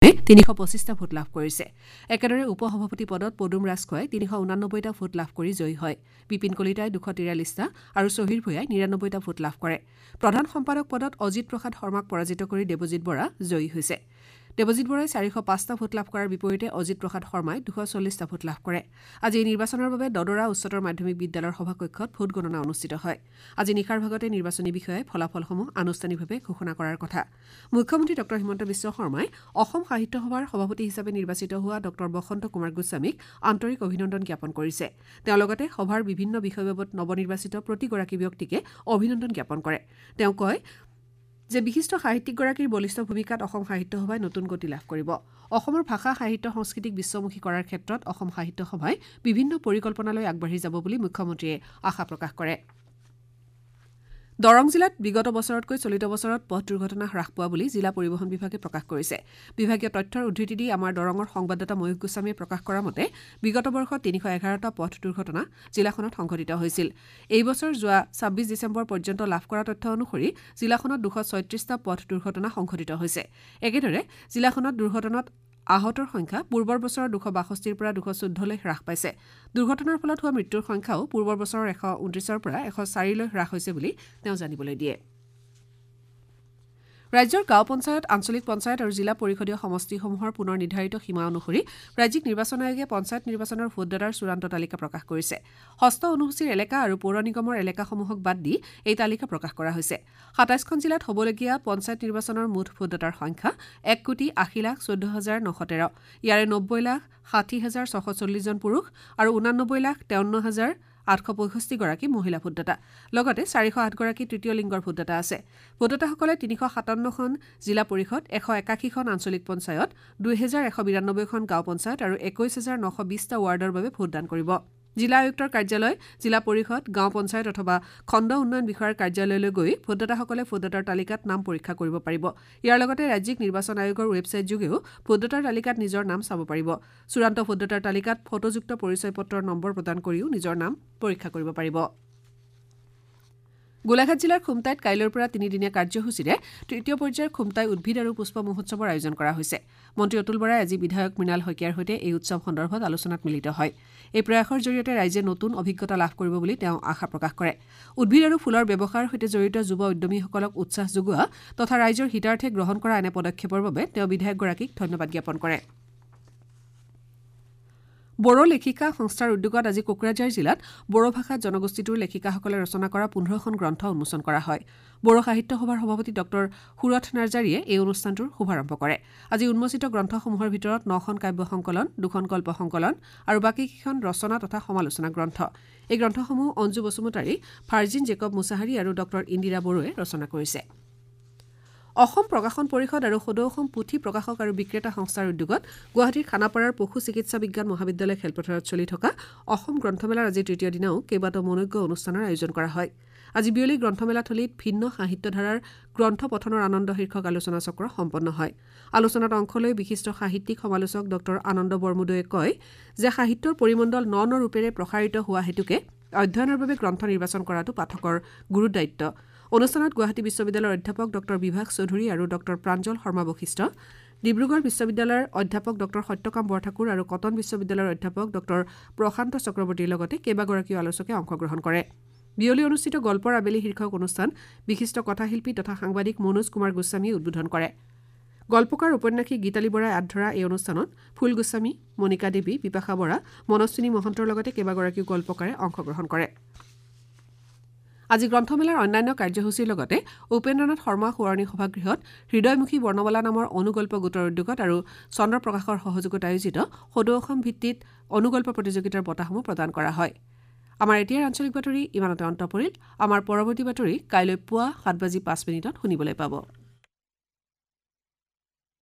325টা vote লাভ কৰিছে। একেদৰে উপ সভাপতি পদত পদুম ৰাজখোৱাই 389টা ভোট লাভ কৰি জয়ী হয়। বিপিন কলিতাই 243টা আৰু চহিৰ ভূঞাই 99টা ভোট লাভ কৰে। প্ৰধান সম্পাদক পদত অজিত প্ৰসাদ শৰ্মাক পৰাজিত কৰি দেৱজিৎ বৰা জয়ী হৈছে। দেৱজিৎ বৰাই 405টা ভোট লাভ কৰাৰ বিপৰীতে অজিত প্ৰসাদ শৰ্মাই 240টা ভোট লাভ কৰে। আজি এই নিৰ্বাচনৰ বাবে দদৰা উচ্চতৰ মাধ্যমিক বিদ্যালয়ৰ সভাকক্ষত ভোটগণনা অনুষ্ঠিত হয়। আজি নিশাৰ ভাগতে নিৰ্বাচনী বিষয়াই ফলাফলসমূহ আনুষ্ঠানিকভাৱে ঘোষণা কৰাৰ কথা। মুখ্যমন্ত্ৰী ডঃ হিমন্ত বিশ্ব শৰ্মাই অসম সাহিত্য সভাৰ সভাপতি হিচাপে নিৰ্বাচিত হোৱা ডঃ বসন্ত কুমাৰ গোস্বামীক আন্তৰিক অভিনন্দন জ্ঞাপন কৰিছে। তেওঁ লগতে সভাৰ বিভিন্ন বিষয়বাবত নৱনিৰ্বাচিত প্ৰতিগৰাকী ব্যক্তিকে অভিনন্দন জ্ঞাপন কৰে। তেওঁ কয় যে বিশিষ্ট সাহিত্যিকগৰাকীৰ বলিষ্ঠ ভূমিকাত অসম সাহিত্য সভাই নতুন গতি লাভ কৰিব। অসমৰ ভাষা, সাহিত্য, সংস্কৃতিক বিশ্বমুখী কৰাৰ ক্ষেত্ৰত অসম সাহিত্য সভাই বিভিন্ন পৰিকল্পনা লৈ আগবাঢ়ি যাব বুলি মুখ্যমন্ত্ৰীয়ে আশা প্ৰকাশ কৰে। দৰং জিলাত বিগত বছৰতকৈ চলিত বছৰত পথ দুৰ্ঘটনা হ্ৰাস পোৱা বুলি জিলা পৰিবহণ বিভাগে প্ৰকাশ কৰিছে। বিভাগীয় তথ্যৰ উদ্ধৃতি দি আমাৰ দৰঙৰ সংবাদদাতা ময়ূখ গোস্বামীয়ে প্ৰকাশ কৰা মতে বিগত বৰ্ষত 311টা পথ দুৰ্ঘটনা জিলাখনত সংঘটিত হৈছিল। এই বছৰ যোৱা 26 ডিচেম্বৰ পৰ্যন্ত লাভ কৰা তথ্য অনুসৰি জিলাখনত 236টা পথ দুৰ্ঘটনা সংঘটিত হৈছে। একেদৰে জিলাখনত দুৰ্ঘটনাত আহতৰ সংখ্যা পূৰ্বৰ বছৰৰ 262ৰ পৰা 214লৈ হ্ৰাস পাইছে। দুৰ্ঘটনাৰ ফলত হোৱা মৃত্যুৰ সংখ্যাও পূৰ্বৰ বছৰৰ 129ৰ পৰা 104লৈ হ্ৰাস হৈছে বুলি তেওঁ জানিবলৈ দিয়ে। ৰাজ্যৰ গাঁও পঞ্চায়ত, আঞ্চলিক পঞ্চায়ত আৰু জিলা পৰিষদীয় সমষ্টিসমূহৰ পুনৰ নিৰ্ধাৰিত সীমা অনুসৰি ৰাজ্যিক নিৰ্বাচন আয়োগে পঞ্চায়ত নিৰ্বাচনৰ ভোটদাতাৰ চূড়ান্ত তালিকা প্ৰকাশ কৰিছে। ষষ্ঠ অনুসূচীৰ এলেকা আৰু পৌৰ নিগমৰ এলেকাসমূহক বাদ দি এই তালিকা প্ৰকাশ কৰা হৈছে। 27খন জিলাত হ'বলগীয়া পঞ্চায়ত নিৰ্বাচনৰ মুঠ ভোটদাতাৰ সংখ্যা 1,80,14,913। ইয়াৰে 90,60,640 জন পুৰুষ আৰু 89,53,865 গৰাকী মহিলা ভোটদাতা। লগতে 408 গৰাকী তৃতীয় লিংগৰ ভোটদাতা আছে। ভোটদাতাসকলে 357খন জিলা পৰিষদ, 181খন আঞ্চলিক পঞ্চায়ত, 2192খন গাঁও পঞ্চায়ত আৰু 21,920টা ৱাৰ্ডৰ বাবে ভোটদান কৰিব। জিলা আয়ুক্তৰ কাৰ্যালয়, জিলা পৰিষদ, গাঁও পঞ্চায়ত অথবা খণ্ড উন্নয়ন বিষয়াৰ কাৰ্যালয়লৈ গৈ ভোটদাতাসকলে ভোটদাতাৰ তালিকাত নাম পৰীক্ষা কৰিব পাৰিব। ইয়াৰ লগতে ৰাজ্যিক নিৰ্বাচন আয়োগৰ ৱেবছাইট যোগেও ভোটদাতাৰ তালিকাত নিজৰ নাম চাব পাৰিব। চূড়ান্ত ভোটদাতাৰ তালিকাত ফটোযুক্ত পৰিচয় পত্ৰৰ নম্বৰ প্ৰদান কৰিও নিজৰ নাম পৰীক্ষা কৰিব পাৰিব। গোলাঘাট জিলাৰ খুমটাইত কাইলৈৰ পৰা তিনিদিনীয়া কাৰ্যসূচীৰে তৃতীয় পৰ্যায়ৰ খুমটাই উদ্ভিদ আৰু পুষ্প মহোৎসৱৰ আয়োজন কৰা হৈছে। মন্ত্ৰী অতুল বৰাই আজি বিধায়ক মৃণাল শইকীয়াৰ সৈতে এই উৎসৱ সন্দৰ্ভত আলোচনাত মিলিত হয়। এই প্ৰয়াসৰ জৰিয়তে ৰাইজে নতুন অভিজ্ঞতা লাভ কৰিব বুলি তেওঁ আশা প্ৰকাশ কৰে। উদ্ভিদ আৰু ফুলৰ ব্যৱসায়ৰ সৈতে জড়িত যুৱ উদ্যমীসকলক উৎসাহ যোগোৱা তথা ৰাইজৰ হিতাৰ্থে গ্ৰহণ কৰা এনে পদক্ষেপৰ বাবে তেওঁ বিধায়কগৰাকীক ধন্যবাদ জ্ঞাপন কৰে। বড়ো লেখিকা সংস্থাৰ উদ্যোগত আজি কোকৰাঝাৰ জিলাত বড়ো ভাষাত জনগোষ্ঠীটোৰ লেখিকাসকলে ৰচনা কৰা 15খন গ্ৰন্থ উন্মোচন কৰা হয়। বড়ো সাহিত্য সভাৰ সভাপতি ডঃ সুৰথ নাৰ্জাৰীয়ে এই অনুষ্ঠানটোৰ শুভাৰম্ভ কৰে। আজি উন্মোচিত গ্ৰন্থসমূহৰ ভিতৰত 9খন কাব্য সংকলন, 2খন গল্প সংকলন আৰু বাকীকেইখন ৰচনা তথা সমালোচনা গ্ৰন্থ। এই গ্ৰন্থসমূহ অঞ্জু বসুমতাৰী, ভাৰ্জিন জেকব মুছাহাৰী আৰু ডঃ ইন্দিৰা বড়োৱে ৰচনা কৰিছে। অসম প্ৰকাশন পৰিষদ আৰু সদৌ অসম পুথি প্ৰকাশক আৰু বিক্ৰেতা সংস্থাৰ উদ্যোগত গুৱাহাটীৰ খানাপাৰাৰ পশু চিকিৎসা বিজ্ঞান মহাবিদ্যালয় খেলপথাৰত চলি থকা অসম গ্ৰন্থমেলাৰ আজি তৃতীয় দিনাও কেইবাটাও মনোজ্ঞ অনুষ্ঠানৰ আয়োজন কৰা হয়। আজি বিয়লি গ্ৰন্থমেলাথলীত ভিন্ন সাহিত্যধাৰাৰ গ্ৰন্থ পঠনৰ আনন্দ শীৰ্ষক আলোচনা চক্ৰ সম্পন্ন হয়। আলোচনাত অংশ লৈ বিশিষ্ট সাহিত্যিক সমালোচক ডঃ আনন্দ বৰমুদৈয়ে কয় যে সাহিত্যৰ পৰিমণ্ডল ন ন ৰূপেৰে প্ৰসাৰিত হোৱা হেতুকে অধ্যয়নৰ বাবে গ্ৰন্থ নিৰ্বাচন কৰাটো পাঠকৰ গুৰু দায়িত্ব। অনুষ্ঠানত গুৱাহাটী বিশ্ববিদ্যালয়ৰ অধ্যাপক ডঃ বিভাস চৌধুৰী আৰু ডঃ প্ৰাঞ্জল শৰ্মা বশিষ্ঠ, ডিব্ৰুগড় বিশ্ববিদ্যালয়ৰ অধ্যাপক ডঃ সত্যকাম বৰঠাকুৰ আৰু কটন বিশ্ববিদ্যালয়ৰ অধ্যাপক ডঃ প্ৰশান্ত চক্ৰৱৰ্তীৰ লগতে কেইবাগৰাকীও আলোচকে অংশগ্ৰহণ কৰে। বিয়লি অনুষ্ঠিত গল্পৰ আবেলি শীৰ্ষক অনুষ্ঠান বিশিষ্ট কথাশিল্পী তথা সাংবাদিক মনোজ কুমাৰ গোস্বামীয়ে উদ্বোধন কৰে। গল্পকাৰ উপন্যাসিক গীতালী বৰাই আঁত ধৰা এই অনুষ্ঠানত ফুল গোস্বামী, মণিকা দেৱী, বিপাশা বৰা, মনস্বিনী মহন্তৰ লগতে কেইবাগৰাকীও গল্পকাৰে অংশগ্ৰহণ কৰে। আজি গ্ৰন্থমেলাৰ অন্যান্য কাৰ্যসূচীৰ লগতে উপেন্দ্ৰনাথ শৰ্মা সোঁৱৰণী সভাগৃহত হৃদয়মুখী বৰ্ণমালা নামৰ অনুগল্প গোটৰ উদ্যোগত আৰু চন্দ্ৰ প্ৰকাশৰ সহযোগত আয়োজিত সদৌ অসম ভিত্তিত অনুগল্প প্ৰতিযোগিতাৰ বঁটাসমূহ প্ৰদান কৰা হয়। আমাৰ এতিয়াৰ আঞ্চলিক বাতৰি ইমানতে অন্ত পৰিল। আমাৰ পৰৱৰ্তী বাতৰি কাইলৈ পুৱা 7:05 শুনিবলৈ পাব।